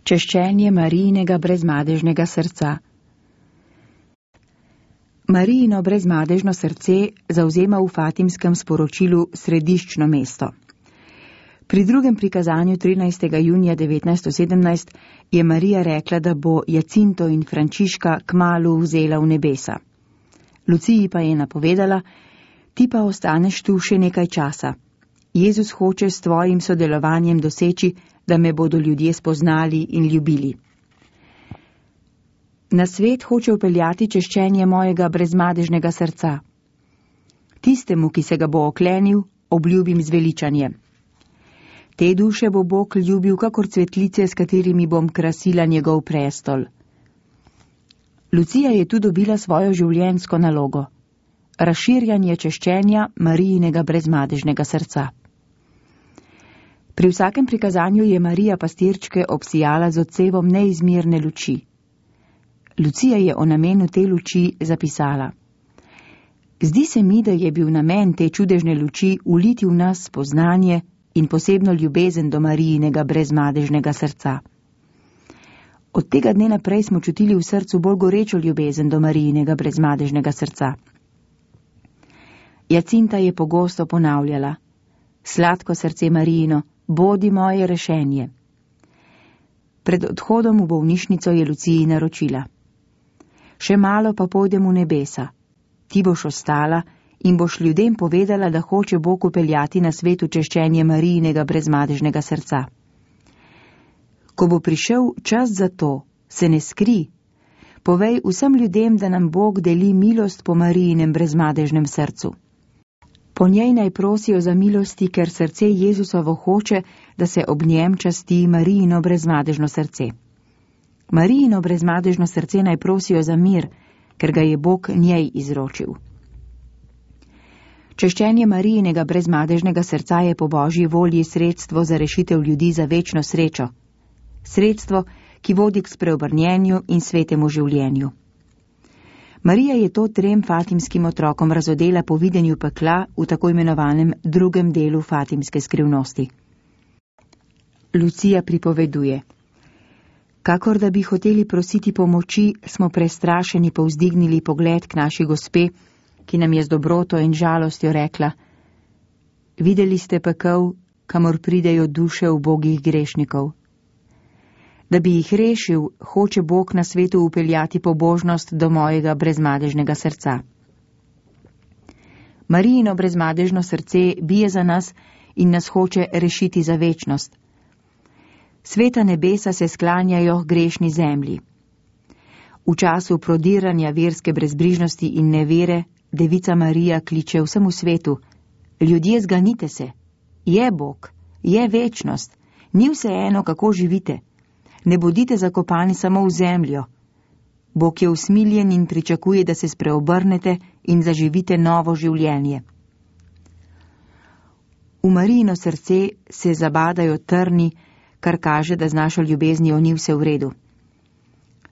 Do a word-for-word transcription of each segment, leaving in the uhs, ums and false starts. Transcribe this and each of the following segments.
Češčenje Marijinega brezmadežnega srca. Marijino brezmadežno srce zavzema v fatimskem sporočilu središčno mesto. Pri drugem prikazanju trinajstega junija devetnajststo sedemnajst je Marija rekla, da bo Jacinto in Frančiška kmalu vzela v nebesa. Luciji pa je napovedala: ti pa ostaneš tu še nekaj časa. Jezus hoče s tvojim sodelovanjem doseči, da me bodo ljudje spoznali in ljubili. Na svet hoče vpeljati češčenje mojega brezmadežnega srca. Tistemu, ki se ga bo oklenil, obljubim zveličanje. Te duše bo Bog ljubil kakor cvetlice, s katerimi bom krasila njegov prestol. Lucija je tu dobila svojo življenjsko nalogo. Razširjanje češčenja Marijinega brezmadežnega srca. Pri vsakem prikazanju je Marija pastirčke obsijala z odsevom neizmerne luči. Lucija je o namenu te luči zapisala: Zdi se mi, da je bil namen te čudežne luči uliti v nas spoznanje in posebno ljubezen do Marijinega brezmadežnega srca. Od tega dne naprej smo čutili v srcu bolj gorečo ljubezen do Marijinega brezmadežnega srca. Jacinta je pogosto ponavljala: Sladko srce Marijino, bodi moje rešenje. Pred odhodom v bolnišnico je Luciji naročila: Še malo pa pojdem v nebesa. Ti boš ostala in boš ljudem povedala, da hoče Bog upeljati na svetu češčenje Marijinega brezmadežnega srca. Ko bo prišel čas za to, se ne skri. Povej vsem ljudem, da nam Bog deli milost po Marijinem brezmadežnem srcu. Po njej naj prosijo za milosti, ker srce Jezusovo hoče, da se ob njem časti Marijino brezmadežno srce. Marijino brezmadežno srce naj prosijo za mir, ker ga je Bog njej izročil. Češčenje Marijinega brezmadežnega srca je po Božji volji sredstvo za rešitev ljudi za večno srečo. Sredstvo, ki vodi k spreobrnjenju in svetemu življenju. Marija je to trem fatimskim otrokom razodela po videnju pekla v tako imenovanem drugem delu fatimske skrivnosti. Lucija pripoveduje: Kakor da bi hoteli prositi pomoči, smo prestrašeni povzdignili pogled k naši gospe, ki nam je z dobroto in žalostjo rekla: Videli ste pekel, kamor pridejo duše ubogih grešnikov. Da bi jih rešil, hoče Bog na svetu upeljati pobožnost do mojega brezmadežnega srca. Marijino brezmadežno srce bije za nas in nas hoče rešiti za večnost. Sveta nebesa se sklanjajo grešni zemlji. V času prodiranja verske brezbrižnosti in nevere Devica Marija kliče vsemu svetu: Ljudje, zganite se! Je Bog, je večnost, ni vseeno, kako živite. Ne bodite zakopani samo v zemljo. Bog je usmiljen in pričakuje, da se spreobrnete in zaživite novo življenje. V Marijino srce se zabadajo trni, kar kaže, da z našo ljubeznijo ni vse v redu.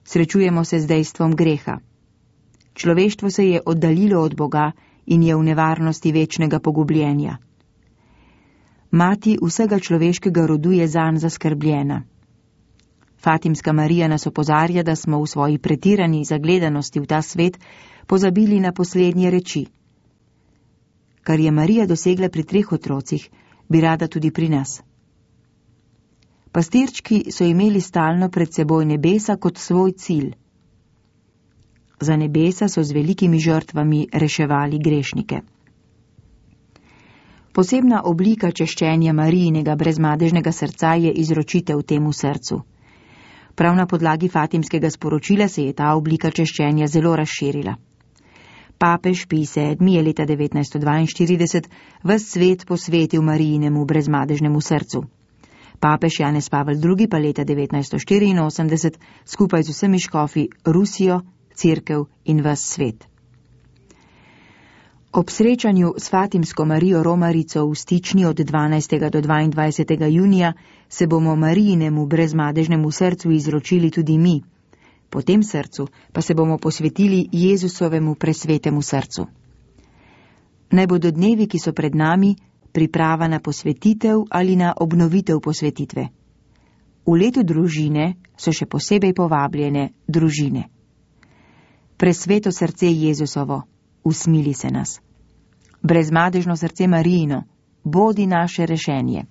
Srečujemo se z dejstvom greha. Človeštvo se je oddaljilo od Boga in je v nevarnosti večnega pogubljenja. Mati vsega človeškega rodu je zanj zaskrbljena. Fatimska Marija nas opozarja, da smo v svoji pretirani zagledanosti v ta svet pozabili na poslednje reči. Kar je Marija dosegla pri treh otrocih, bi rada tudi pri nas. Pastirčki so imeli stalno pred seboj nebesa kot svoj cilj. Za nebesa so z velikimi žrtvami reševali grešnike. Posebna oblika češčenja Marijinega brezmadežnega srca je izročitev temu srcu. Prav na podlagi fatimskega sporočila se je ta oblika češčenja zelo razširila. Papež Pij sedmi je leta devetnajststo dvainštirideset ves svet posvetil Marijinemu brezmadežnemu srcu. Papež Janez Pavel drugi pa leta devetnajststo štiriinosemdeset skupaj z vsemi škofi Rusijo, Cerkev in ves svet. Ob srečanju s Fatimsko Marijo Romarico v Stični od dvanajstega do dvaindvajsetega junija se bomo Marijinemu brezmadežnemu srcu izročili tudi mi. Po tem srcu pa se bomo posvetili Jezusovemu presvetemu srcu. Naj bodo dnevi, ki so pred nami, priprava na posvetitev ali na obnovitev posvetitve. V letu družine so še posebej povabljene družine. Presveto srce Jezusovo, usmili se nas. Brezmadežno srce Marijino, bodi naše rešenje.